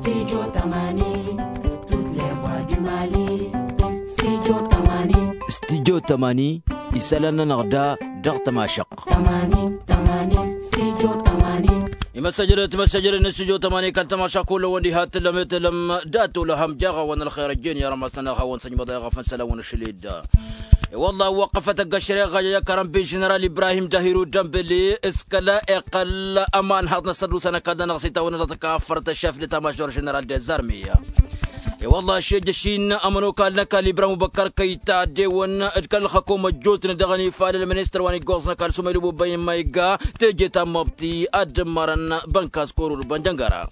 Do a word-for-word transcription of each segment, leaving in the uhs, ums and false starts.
Studio tămani. Studyo tămani. Isălan-nănăɣ da dăɣ-tămašăɣt. Imăssăjrăt imăssăjrăt n-studyo tămani kăl-tămašăɣt kull-wăn diha tǝllăm tǝllăm. Dat-olăhăm jaɣ-awăn ălxer ăjjeen i-armas-nănăɣ hawăn-săjmăḍ i-aɣăf n-isălan-wăn ašăl-dd. I-wălla wăqqăfăt ăgg-ăššăreɣa i-akărăn bi ženeral ibrahim dahiru dămbele s-kăla iqqăl ămanhăḍ n-asăddusa n-ăkall-nănăɣ s-itawănna dăɣ-tăkaffăr tăššafdăt amažor ženeral dezarmi. I-wălla ašejăš-in ămănokal n-ăkall ibrahim ubăkkăr kăyta ăddewăn d-kăl-ălxăkom ăjjootnen dăɣ-ănifal ălministăr wa n-iggoẓ n-ăkall sumaylu bubăy n-ma igga teje ta n-măbti ad-dd-ǝmmărăn bănkas korur bănjăngăra.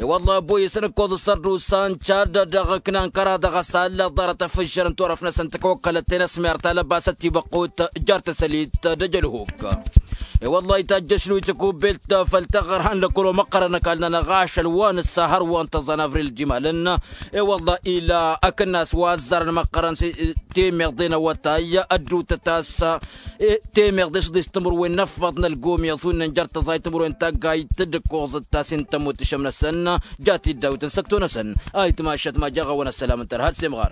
I-wălla ăbboyăsăn ǝkkoẓ ăssărdusa n-čad dăɣ-ǝknan kăraḍ dăɣ-asal ḍarăt afǝžžăr n-turăf-năsăn tăkăwăkkălăt tenăsmert alăbasăt tibăqqut. Jar tăsălit d-ejălhuk. I-wălla itajjăš luyt kubbelt făll-taɣărha n-lăkkăl wa măqqărăn ăkall-nănăɣ ašăl wa nǝssa hărwa n-tăẓan avril d-imalăn. I-wălla ila akǝnnas wa ăzzarăn măqqărăn s-temeḍe n-awătay ăddutăt a-s temeḍe šăḍis timǝrwen n-ăffăḍ n-ălgom i-aẓunnen jer-tăẓayt timǝrwen taggayt d-ǝkkoẓăt ta s-intămut ǝššăm-năsăn. Jat-dd dawt n-săkto-năsăn. Ayǝtmašăt ma jaɣ-awăn ăssălam n-tărha d-semɣar.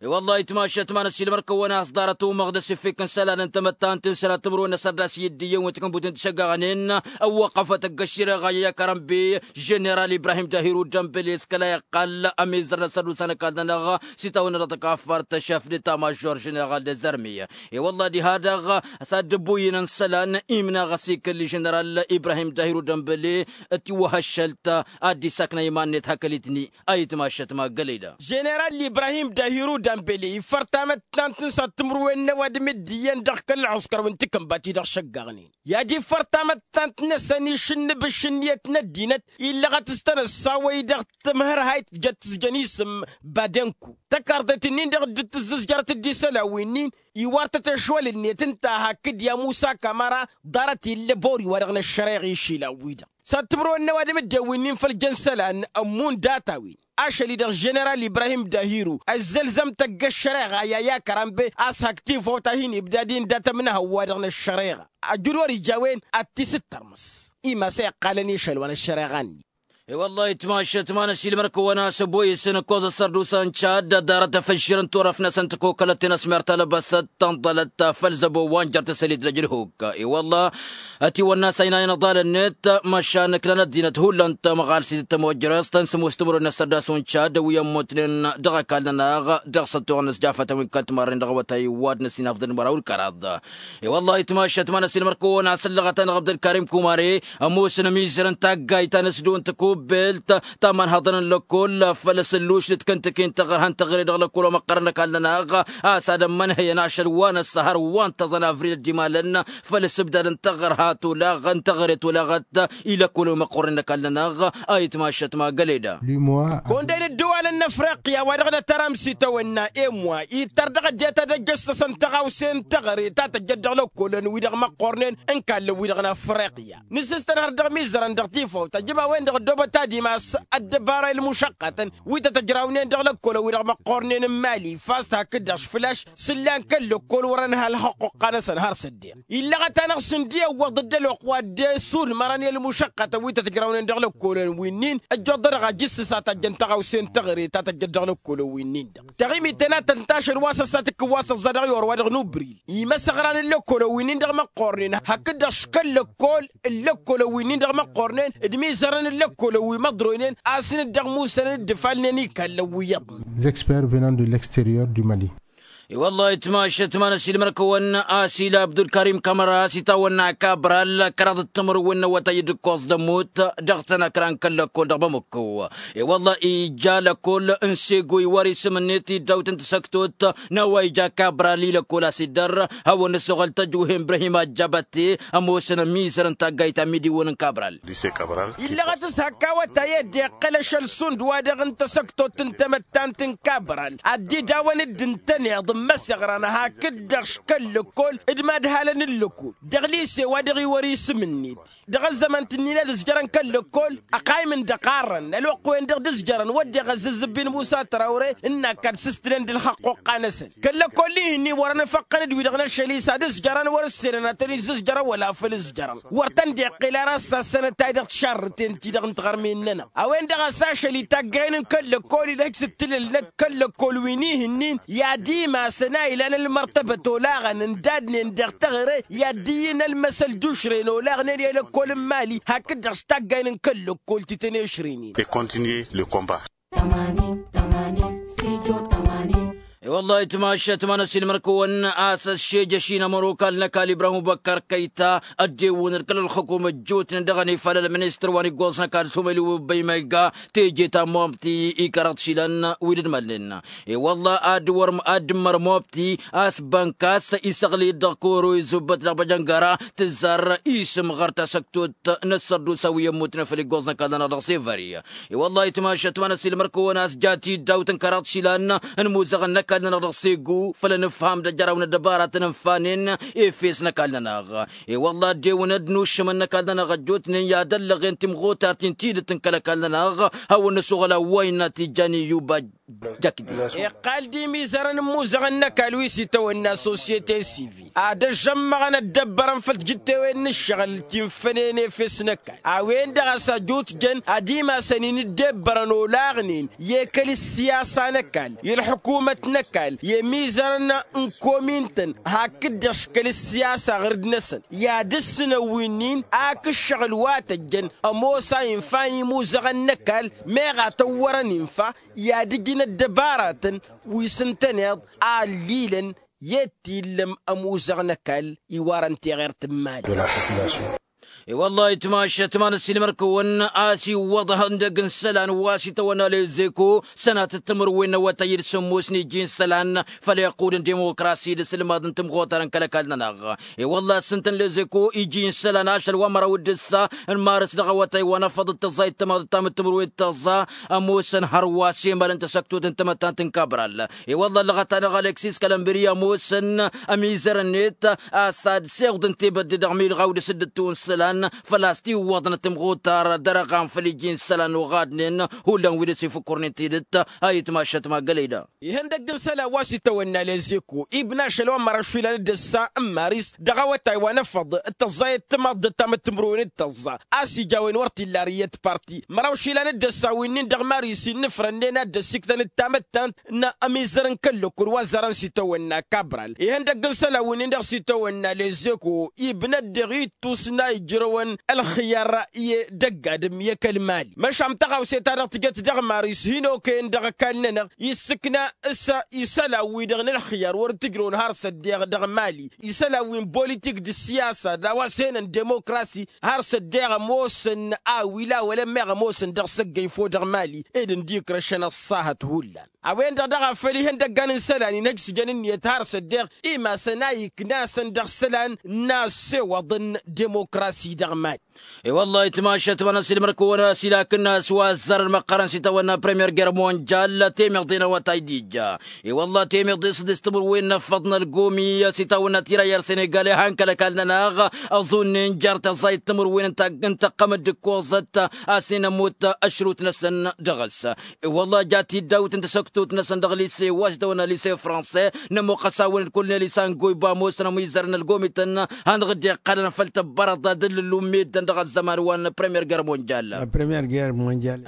I-wălla ayǝtmašăt ma n-ăssiilmăr-kăwăn a-s ḍarăt umăɣ d-asǝffik n-isălan n-tamăttant n-sănat timǝrwen n-asărdas i-dd-iyyăn wi t-kănbuten tišăggăɣnen. Ăwwăqqăfăt ăgg-ăššăreɣa i-akărăn bi ženeral ibrahim dahiru dămbele s-kăla iqqal ămizăr n-asărdusa n-ăkall-nănăɣ s-itawănna dăɣ-tăkaffărt tăššafdăt amažor ženeral dezarmi. I-wălla diha-dăɣ s-ad-dd-ăbbuyyǝnăn isălan imnaɣ ăsikǝlli ženeral ibrahim dahiru dămbele. Tiwăhăššălt ad-dd-isakna iman-net hakăl-itni. Ayǝtmašăt ma gălăy da. Ženeral ibrahim dahiru dămbele ifăr tamăttant n-săr timǝrwen n-ăwadǝm dd-iyyăn dăɣ-kăl-ălɣǝskăr wi n-tikǝnbat-i-dăɣ šăggăɣnen i-ad-ifăr tamăttant-năsăn išǝnnǝb ǝššǝnniyăt n-ăddinăt illăɣăt s-tăn-ăssawăy dăɣ-tǝmhărhayt tǝjăt tǝzjăn isǝm badenku. Tăkarḍet-in-dăɣ dd-tǝzzǝzjărăt dd-isălan wi-nin iwar-tăt ešwăl-net ǝnta hakd i-amusa kamăra. Ḍarăt illa bori-wa-dăɣ n-ăššăreɣ išilan-wi-dăɣ s-ad-timǝrwen n-ăwadǝm dd-ewǝnnin făll-jăn isălan ămmun data-win. Ašăl-i-dăɣ ženeral ibrahim dahiru ăzzălzăm-t ăgg-ăššăreɣa i-ad-i-akăran be a-s hak tifawt a hin-ibdad-in dat-ămnăhăw-wa-dăɣ n-ăššăreɣa ajǝd wăr-ija a-wen ad-t-isǝttărmǝs. Imas a iqqalăn išăl wa n-ăššăreɣa-net. I-wăllah itmašăt ma n-ăsilmăr-kăwăn a-s ăboyǝsăn ǝkkoẓ ăssărdusa n-čad ăddarăt afǝššǝr n-turăf-năsăn tăkokălăt tenăsmert alăbăsăt tănḍălăt făll-zăbo wa n-jer-tăsălit d-ăjrǝhuk. I-wăllah ătiwănna s-a inanen ăḍal-net măšan ǝknan ăddinăt hullan tamăɣalsit d-tămojrăst n-sǝmos timǝrwen n-ăssărdas wa n-čad wi ămmutnen dăɣ-ăkall-nănăɣ dăɣ-săttoɣ n-asjafătăn wi n-kăl-timarren dăɣ-awătay wa d-năsinafḍăn măraw d-kăraḍ. I-wăllah itmašăt ma n-ăsilmăr-kăwăn a-s ăllăɣăt-anăɣ abdălkarim kumare ămoosăn ămizăr n-taggayt ta n-asdon tăkubbelt ta n-imanhăḍăn n-lăkkol făll-asǝlluš d-kăntăke n-taɣărha n-taɣre dăɣ-lăkkol wa măqqărăn ăkall-nănăɣ a-s ad-ămmănhăyăn ašăl wa n-ăssăhăr wa n-tăẓăn avril dd-imalăn făll-asǝbdad n-taɣărha tolaɣ n-taɣre tolaɣăt i-lăkkol wa măqqornen ăkall-nănăɣ. A itmašăt ma găleda. Kăwăn-dd-e-dd ăwwalăn n-afriqya wa dăɣ-nătăram s-itawănna emwa ittăr dăɣ-ăddinăt ad-ăjjăssăsăn tăɣawse n-taɣre ta tăjjăt dăɣ-lăkkolăn-wi-dăɣ măqqornen n-kallăn-wi-dăɣ n-afriqya nǝsǝstănhăr dăɣ-imizărăn dăɣ-tifawt ăjbăwen-dăɣ ăddoobăt ad-imas ăddăbara i-ălmušăqqatăn wi tăt-ăjrawnen dăɣ-lăkkolăn-wi-dăɣ măqqornen n-mali fast hakd-dăɣ făl-a-š sǝllan kăl-lăkkol wărăn hal hăqquqqa-năsăn har s-ăddeɣ illăɣăt-anăɣ s-ǝndi ăwwăḍ-dd ălwăqq wa dd-e-ǝsudmărăn i-ălmušăqqatăn wi tăt-ǝjrawnen dăɣ-lăkkolăn wi-nin ăjjoḍănăɣ ajǝssǝs a tajjăn tăɣawse n-taɣre ta tăjjăt dăɣ-lăkkolăn wi-nin-dăɣ taɣimit tănatăt n-tašăl wa s-ăssatǝkkǝn wa s-ăẓẓa dăɣ-i orwa dăɣ-nubri. Imăsăɣran n-lăkkolăn wi-nin-dăɣ măqqornen hakd-dăɣ škăl-lăkkol n-lăkkolăn wi-nin-dăɣ măqqornen d-imizărăn n-lăkkolăn wi măḍroynen a-s n-dd-ăɣmusăn d-ǝfalnen ikallăn wi iyyăḍnen. Expert venant de l'extérieur du mali. I-wăllah itmašăt ma n-ăsilmăr-kăwăn a-s ila abdulkarim kamăra a-s itawănna kabral kăraḍ d-timǝrwen n-awătay d-ǝkkoẓ d-ămmut dăɣ-tănăkra n-kăl-lăkkol dăɣ-bamăkko. I-wăllah ija lăkkol n-sego iwar isǝm-net iddawt n-tasăktot n-a-wa ija kabral i-lăkkol a-s iddăr hawăn-dd-ăsoɣăl tăjwǝhe n-ibrahim ajjabătte ămoosăn ămizăr n-taggayt ta n-imidiwăn n-kabral. Illăɣăt s-hak awătay ed iqqăl ašăl šund wa dăɣ-n tasăktot n-tamăttant n-kabral ad-dd-idawăn dd-ǝntăneḍ. Măseɣran hakd-dăɣ kăl-lăkkol d-madhalăn n-lăkkol dăɣ-lise wa dăɣ-iwăr isǝm-net. Dăɣ-ăzzăman-t-ǝnnin ad-ǝzjărăn kăl-lăkkol ăqaym n-dăqarrăn ălwăqq-wen-dăɣ d-ǝzjărăn wădden ăzzăzzǝbbin musa tărawre ǝnn'-ak ad-sǝstǝlăn d-ǝlxăqq oqqa-năsăn. Kăl-lăkkol-i-hin-i wărăn ăfăqqăn d-wi-dăɣ n-ašăl-i s-ad-ǝzjărăn wăr-ǝssenăn ad-tăn-izzǝzjărăn wăla făl ǝzjărăn wăr tăn-dd-iqqel ara ăssassănăt-ay dăɣ-tišarrǝten-ti-dăɣ n-tiɣărmen-nănăɣ. A-wen-dăɣ a-s ašăl-i taggay n-kăl-lăkkol-i d-hak s-ǝttǝlǝlnăt kăl-lăkkol wi n-ihǝnnin i-ad-imasăn a ilan ălmărtăbăt olaɣăn ǝndadnen dăɣ-teɣăre i-ad-dd-iyyǝn ălmăsăl d-ušren olaɣnen i-lăkkol n-imali hakd-dăɣ s-taggay n-kăl-lăkkol ti tăn-ešrǝynen. Ewălla itmašăt ma n-ăsiilmăr-kăwăn a-s ăššejăš-in ămănokal n-ăkall ibrahim băkkăr kăyta ăddewǝnăd kăl-ălxukum ăjjootnen dăɣ-ănifal ălministăr wa n-iggoẓ n-ăkall s-umăylu băymăyga teje ta n-mobti i-kăraḍ išilan wi d-ǝdmalnen. I-wălla ad-dd-ǝmmăr mobti a-s bănkas isăɣlăy-dd dăɣ-koro izubbăt dăɣ-băjăngăra tǝzzar isǝm ɣăr tasăktot n-ăssărdusa wi ămmutnen făll-iggoẓ n-ăkall-nănăɣ dăɣ-sevări. I-wălla itmašăt ma n-ăsiilmăr-kăwăn a-s jat-i dd-awǝtăn kăraḍ išilan n-imuzăɣăn n-ăkall-nănăɣ dăɣ-segu făll-anǝfham d-ajăraw n-ăddăbaratăn ǝnfanen efes n-ăkall-nănăɣ. I-wălla ăddewǝnăd n-uššǝmăn n-ăkall-nănăɣ ăjjootnen i-ad-ăllăɣen timɣutart-in tidǝt n-kăl-ăkall-nănăɣ hawăn-năsoɣăl a-wa innă tijjan iyyuba. Iqqal-dd imizărăn n-imuzăɣăn n-ăkall wi s-itawănna sosyete sivil ad-ăžžămmăɣăn ăddăbbărăn făll-tijǝttewen n-ǝššăɣǝl ti n-fănen efes n-ăkall. A-wen-dăɣ a-s ăjutjăn ad-imasăn-in dd-ebbărăn olaɣnen i-kăl-ǝssiyasa n-ăkall i-ălḥukumăt n-ăkall i-emizărăn n-komin-tăn hakd-dăɣ kăl-ǝssiyasa ɣǝr-dd-năsăn i-ad-ǝssǝnăn wi-nin ak ǝššăɣǝl wa tăjjăn ămoos a infa n-imuzăɣăn n-ăkall meɣ a tăwwărăn infa i-ad-ǝjǝn ăddăbaratăn wi s-ǝntăneḍ a ăllilăn i-dd-tillăm ămuzăɣ n-ăkall iwarăn teɣert n-imali. I-wăllah itmašăt ma n-ăssiilmăr-kăwăn a-s iwwăḍăh ǝndăgg n-isălan wa s-itawănna lezeko sănatăt timǝrwen n-awătay d-sǝmmos n-iji n-isălan făll-iqqud n-dimukrasi d-asǝlmaḍ n-timɣutar n-kăl-ăkall-nănăɣ. I-wăllah s-ǝntăn lezeko iji n-isălan ašăl wa măraw d-ǝssa n-marǝs dăɣ-awătay wa n-afăḍ d-tăẓẓayt tămaḍ d-tamǝttǝmǝrwen d-tăẓẓa ămoosăn hărwa s-emal n-tasăktot n-tamăttant n-kabral. I-wăllah ăllăɣăt-anăɣ alexis kălămbǝri ămoosăn ămizăr-net a-s ad-siwḍăn tebădde dăɣ-milɣaw d-asǝddǝttu n-isălan făl-a-s tiwwăḍnăt timɣutar dărăɣan făll-iji n-isălan oɣadnen hullan wi dăr-s ifǝkkurnǝn tidǝt. A itmašăt ma gălăyda. Ihăndăgg n-isălan wa s-itawănna lezeko ibna ašăl wa n-măraw išilan d-ǝssa n-maris dăɣ-awătay wa n-afăḍ d-tăẓẓayăt timaḍt d-tamăttǝmrăwen d-tăẓẓa a-s ija a-wen wăr t-illa arǝyyăt parti măraw išilan d-ǝssa wi-nin dăɣ-maris innǝfrănnen ad-dd-ăssiktăn d-tamăttant n-ămizăr n-kăl-lăkkul wa ăzzarăn s-itawănna kabral ihăndăgg n-isălan wi-nin-dăɣ s-itawănna lezeko ibnăt dăɣ-ittus n-a ijrăwăn ălxǝyăr i-dăgg-adǝm i-kăl-mali măšan tăɣawse-ta-dăɣ tǝjăt dăɣ-maris hin-okăyăn dăɣ-ăkall-nănăɣ issǝkna s-isălan-wi-dăɣ n-ălxǝyăr wăr t-ǝjrăwăn har s-ăddeeɣ dăɣ-mali isălan-wi n-politik d-ǝssiyasa d-a-wa s-henăn demokrasi har s-ăddeeɣ ămoosăn a ăwila wăla ămmeɣ ămoosăn dăɣ-săggăyfo dăɣ-mali ed ǝndikrăšăn ăṣṣahăt hullan. A-wen-dăɣ daɣ a făl ihăndăggan n-isălan-in ăjsǝjăn ǝnniyăt har s-ăddeeɣ imasăn a iknasăn dăɣ-isălan n-asewăḍ n-demokrasi dăɣ-mali. I-wăllah itmašăt ma n-ăsilmăr-kăwăn a-s ila akǝnnas wa ăzzarăn măqqărăn s-itawănna premier guerre mondial temeḍe n-awătay d-ija. I-wăllah temeḍe s-dd-istǝmǝrwen n-afăḍ n-ălgomi s-itawănna tira i-ăr senegal i-han kăl-ăkall-nănăɣ ăẓunnen jer-tăẓẓayt timǝrwen n-tăqqăm d-ǝkkoẓăt a-s hin-ămmut ăšrut-năsăn dăɣ-s. I-wăllah jat-dd dawt n-tasăktot-năsăn dăɣ-lise wa s-itawănna lise franse n-ămoqqăs-awăn d-kull n-elisan goyba ămoosăn ămizărăn ălgomităn hanăɣ-dd-iqqălăn făll-tăbbărăḍ ad-ǝllǝllum meddǝn dăɣ-ăzzăman wa n-premier guerre mondial.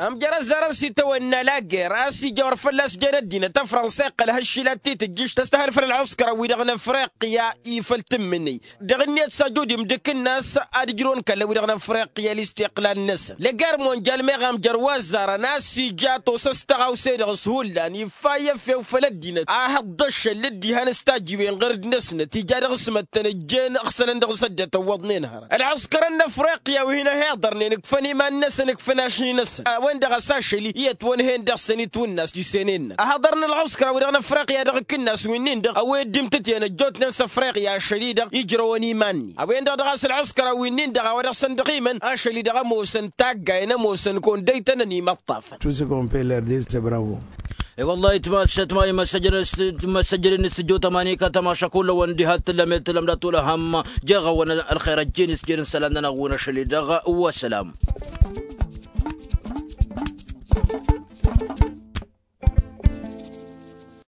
Ămjăr-ăzzarăn s-itawănna lager a-s ija wăr fălla-s jen ăddinăt ăfrănsa iqqăl ha-ǝššǝlat ti tǝjjǝš tăstăhăl făll-ălɣǝskăr-wi-dăɣ n-afriqya i-făll-tǝmmǝnǝy dăɣ-ǝnniyăt s-ajud imdǝk-nas ad-ǝjrǝwăn kălla-wi-dăɣ n-afriqya listiqlal-năsăn lăger mondial meɣ amjăr wa ăzzarăn a-s ija tosă s-tăɣawse-dăɣ s-hullan iffa i-efew făll-ăddinăt a hăḍḍăššăl d-ihan s-tajiwen ɣăr-dd-năsnăt ija dăɣ-s măttăn ǝjjen ăɣsălăn dăɣ-s ăddinăt ăwwăḍnen hărăt ălɣǝskărăn n-afriqya wi hin-ăhiḍărnen ǝkfăn iman-năsăn ǝkfăn ašni-năsăn a-wen-dăɣ a-s ašăl-i i-ătwănhen dăɣ-săn itwǝnnas tisenen-năk ăhăḍărăn ălɣǝskăra-wi-dăɣ n-afriqya dăɣ-akǝnnas wi-nin-dăɣ a-wa i-dd-imtǝtǝyăn ăjjootnen s-afriqya ašăl-i-dăɣ ijrăwăn iman-ni a-wen-dăɣ daɣ a-s ălɣǝskăra-wi-nin-dăɣ a-wa dăɣ-săn dăɣ-imăn ašăl-i-dăɣ ămoosăn taggayen ămoosăn kăwăn-dd-ăytănăn imăṭṭafăn. Tout ce qu'on peut leur dire c'est bravo. I-wăllah itmăssăt ma imăssăjăn s-tijjo tămani kătămaša kullăwăn diha t-tǝllăm i-tǝllăm dat-olăhăm. Jeɣ-awăn ălxer ăjjin s-jir n-isălan-nănăɣ wi n-ašăl-i-dăɣ. Wăssălam.